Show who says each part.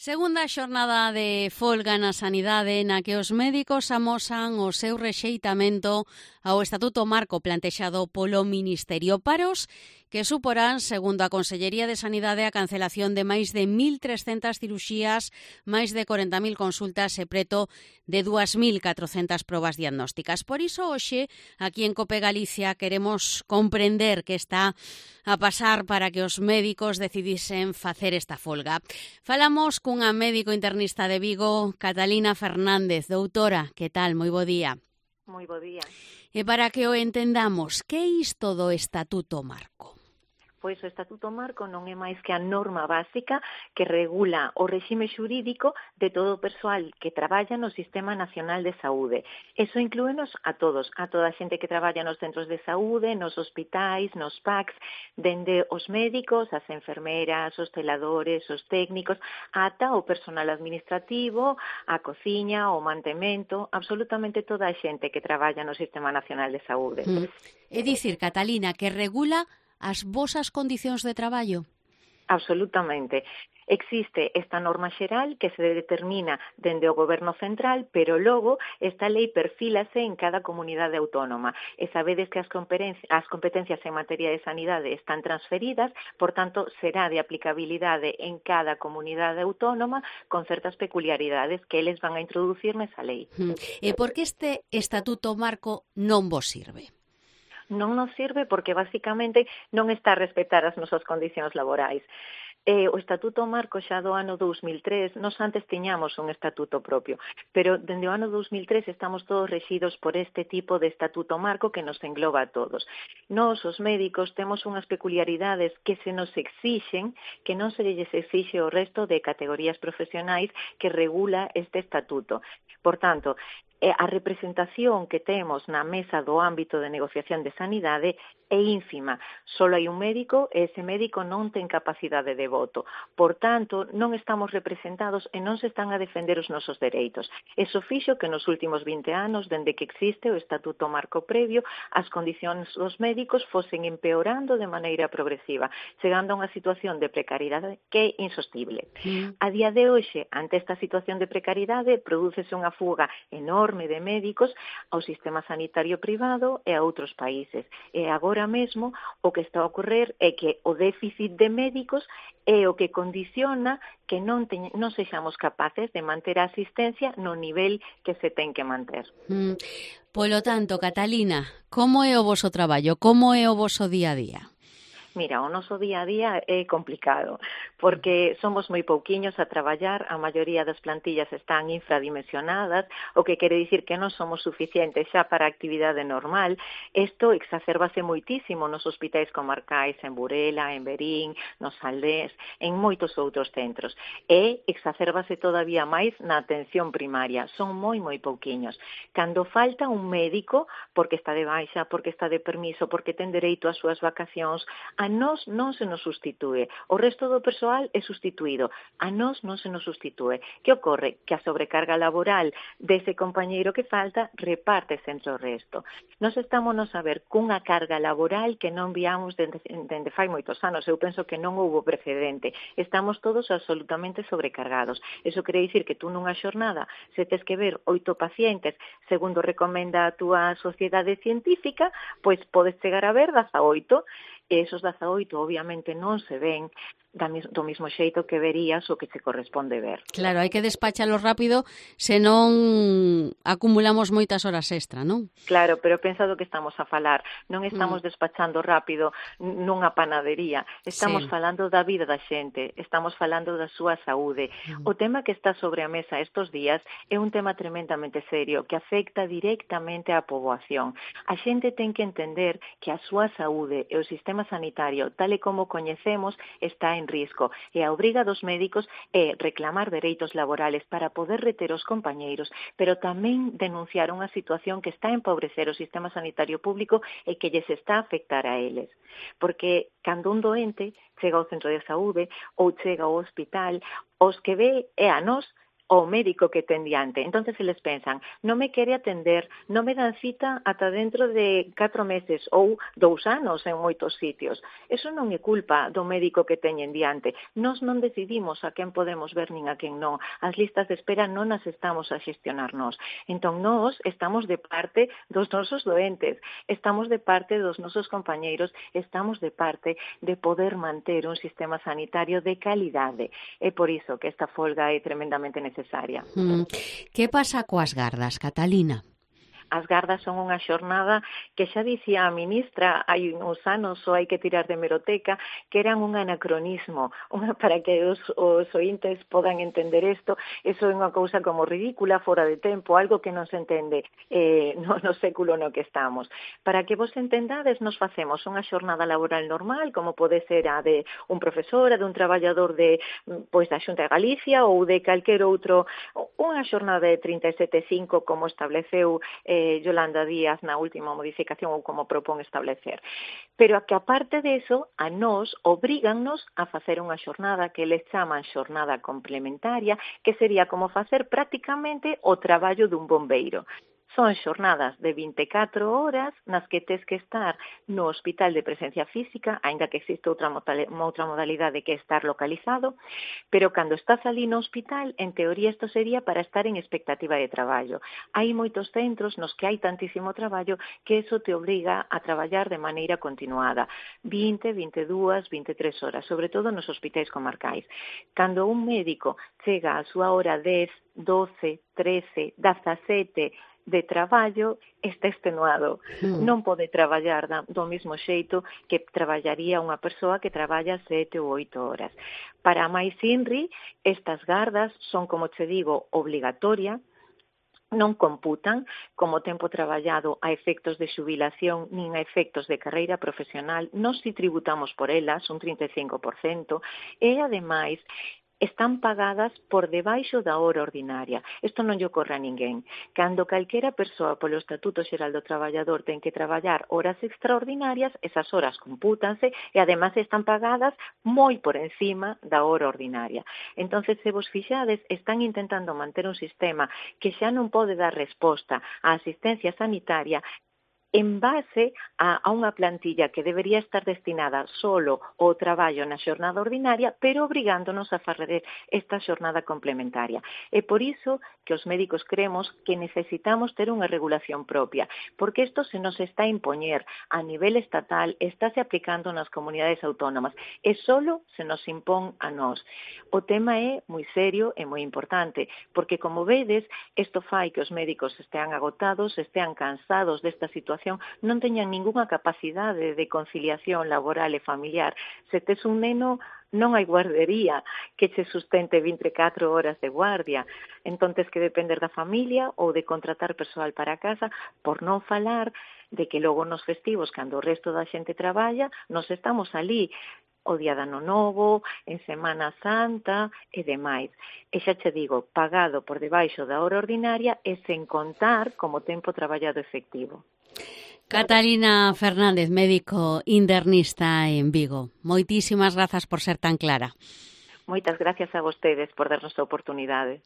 Speaker 1: Segunda xornada de folga na sanidade na que os médicos amosan o seu rexeitamento ao Estatuto Marco plantexado polo Ministerio, paros que suporán, segundo a Consellería de Sanidade, a cancelación de máis de 1.300 cirurxías, máis de 40.000 consultas e preto de 2.400 probas diagnósticas. Por iso, hoxe, aquí en COPE Galicia, queremos comprender que está a pasar para que os médicos decidisen facer esta folga. Falamos cunha médico internista de Vigo, Catalina Fernández. Doutora, que tal? Moi bo día.
Speaker 2: Moi bo día.
Speaker 1: E para que o entendamos, que é isto do Estatuto Marco?
Speaker 2: Pois o Estatuto Marco non é máis que a norma básica que regula o réxime xurídico de todo o persoal que traballa no Sistema Nacional de Saúde. Eso inclúenos a todos, a toda a xente que traballa nos centros de saúde, nos hospitais, nos PACs, dende os médicos, as enfermeras, os celadores, os técnicos, ata o personal administrativo, a cociña, o mantemento, absolutamente toda a xente que traballa no Sistema Nacional de Saúde.
Speaker 1: É dicir, Catalina, que regula as vosas condicións de traballo?
Speaker 2: Absolutamente. Existe esta norma xeral que se determina dende o Goberno Central, pero logo esta lei perfílase en cada comunidade autónoma. E sabedes que as competencias en materia de sanidade están transferidas, por tanto, será de aplicabilidade en cada comunidade autónoma con certas peculiaridades que eles van a introducir nesa lei.
Speaker 1: E por que este Estatuto Marco non vos sirve?
Speaker 2: Non nos sirve porque basicamente non está a respetar as nosas condicións laborais. O Estatuto Marco xa do ano 2003, nos antes tiñamos un estatuto propio, pero dende o ano 2003 estamos todos rexidos por este tipo de Estatuto Marco que nos engloba a todos. Nós, os médicos, temos unhas peculiaridades que se nos exixen, que non se lles exixe o resto de categorías profesionais que regula este estatuto. Por tanto, a representación que temos na mesa do ámbito de negociación de sanidade é ínfima. Só hai un médico e ese médico non ten capacidade de voto. Por tanto, non estamos representados e non se están a defender os nosos dereitos. Eso fixo que nos últimos 20 anos, dende que existe o Estatuto Marco previo, as condicións dos médicos fosen empeorando de maneira progresiva, chegando a unha situación de precariedade que é insostible. A día de hoxe, ante esta situación de precariedade, prodúcese unha fuga enorme de médicos ao sistema sanitario privado e a outros países. E agora mesmo o que está a ocorrer é que o déficit de médicos é o que condiciona que non sexamos capaces de manter a asistencia no nivel que se ten que manter.
Speaker 1: Polo tanto, Catalina, como é o voso traballo? Como é o voso día a día?
Speaker 2: Mira, o noso día a día é complicado, porque somos moi pouquiños a traballar, a maioría das plantillas están infradimensionadas, o que quere dicir que non somos suficientes xa para a actividade normal. Isto exacerbase moitísimo nos hospitais comarcais en Burela, en Verín, nos Aldés, en moitos outros centros. E exacerbase todavía máis na atención primaria, son moi pouquiños. Cando falta un médico, porque está de baixa, porque está de permiso, porque ten dereito ás súas vacacións, a nós non se nos sustitúe. O resto do persoal é sustituído. A nós non se nos sustitúe. Que ocorre? Que a sobrecarga laboral dese compañeiro que falta repártese entre o resto. Nos estamos a ver cunha carga laboral que non viamos dende fai moitos anos. Eu penso que non houbo precedente. Estamos todos absolutamente sobrecargados. Eso quere dicir que tú nunha xornada se tes que ver 8 pacientes segundo recomenda a túa sociedade científica, pois podes chegar a ver 18. E esos 18 obviamente non se ven do mismo xeito que verías o que se corresponde ver.
Speaker 1: Claro, hai que despachalo rápido, senón acumulamos moitas horas extra, non?
Speaker 2: Claro, pero pensa do que estamos a falar. Non estamos despachando rápido nunha panadería. Estamos falando da vida da xente, estamos falando da súa saúde. O tema que está sobre a mesa estes días é un tema tremendamente serio que afecta directamente á poboación. A xente ten que entender que a súa saúde e o sistema sanitario, tal e como coñecemos, está en risco, e a obriga dos médicos é reclamar dereitos laborales para poder reter os compañeiros, pero tamén denunciar unha situación que está a empobrecer o sistema sanitario público e que lles está a afectar a eles. Porque cando un doente chega ao centro de saúde ou chega ao hospital, os que ve é a nós ao médico que ten diante. Entonces eles pensan, non me quere atender, non me dan cita ata dentro de 4 meses ou 2 anos en moitos sitios. Eso non é culpa do médico que teñen diante. Nós non decidimos a quen podemos ver nin a quen non. As listas de espera non as estamos a xestionar nós. Entón nós estamos de parte dos nosos doentes, estamos de parte dos nosos compañeiros, estamos de parte de poder manter un sistema sanitario de calidade. É por iso que esta folga é tremendamente necesaria.
Speaker 1: Que pasa coas gardas, Catalina?
Speaker 2: As gardas son unha xornada que xa dicía a ministra hai uns anos, ou hai que tirar de hemeroteca, que eran un anacronismo, para que os ointes podan entender isto. Eso é unha cousa como ridícula, fora de tempo, algo que non se entende no século no que estamos. Para que vos entendades, nos facemos unha xornada laboral normal, como pode ser a de un profesor, a de un traballador da Xunta de Galicia ou de calquer outro, unha xornada de 37,5 como estableceu Yolanda Díaz na última modificación ou como propón establecer. Pero que aparte de eso, a nós obrígannos a facer unha xornada que les chaman xornada complementaria, que sería como facer prácticamente o traballo dun bombeiro. Son xornadas de 24 horas nas que tes que estar no hospital de presencia física, aínda que existe outra modalidade que é estar localizado, pero cando estás ali no hospital, en teoría isto sería para estar en expectativa de traballo. Hai moitos centros nos que hai tantísimo traballo que eso te obriga a traballar de maneira continuada, 20, 22, 23 horas, sobre todo nos hospitais comarcais. Cando un médico chega a súa hora 10, 12, 13, 17 de traballo, está extenuado. Non pode traballar do mesmo xeito que traballaría unha persoa que traballa 7 ou 8 horas. Para máis INRI, estas gardas son, como che digo, obligatoria, non computan como tempo traballado a efectos de xubilación nin a efectos de carreira profesional. Nós si tributamos por elas un 35% e, ademais, están pagadas por debaixo da hora ordinaria. Isto non lle ocorre a ninguén. Cando calquera persoa polo Estatuto Xeral do Traballador ten que traballar horas extraordinarias, esas horas compútanse e ademais están pagadas moi por encima da hora ordinaria. Entonces, se vos fixades, están intentando manter un sistema que xa non pode dar resposta á asistencia sanitaria en base a unha plantilla que debería estar destinada solo ao traballo na xornada ordinaria, pero obrigándonos a fazer esta xornada complementaria. É por iso que os médicos creemos que necesitamos ter unha regulación propia, porque isto se nos está a impoñer a nivel estatal, estáse aplicando nas comunidades autónomas, e solo se nos impón a nós. O tema é moi serio e moi importante, porque, como vedes, isto fai que os médicos estean agotados, estean cansados desta situación, non teñan ningunha capacidade de conciliación laboral e familiar. Se tes un neno, non hai guardería que che sustente 24 horas de guardia. Entón, tes que depender da familia ou de contratar persoal para casa, por non falar de que logo nos festivos, cando o resto da xente traballa, nos estamos ali o día de Ano Novo, en Semana Santa e demais. E xa che digo, pagado por debaixo da hora ordinaria e sen contar como tempo traballado efectivo.
Speaker 1: Catalina Fernández, médico internista en Vigo. Moitísimas grazas por ser tan clara.
Speaker 2: Moitas gracias a vostedes por darnos a oportunidade.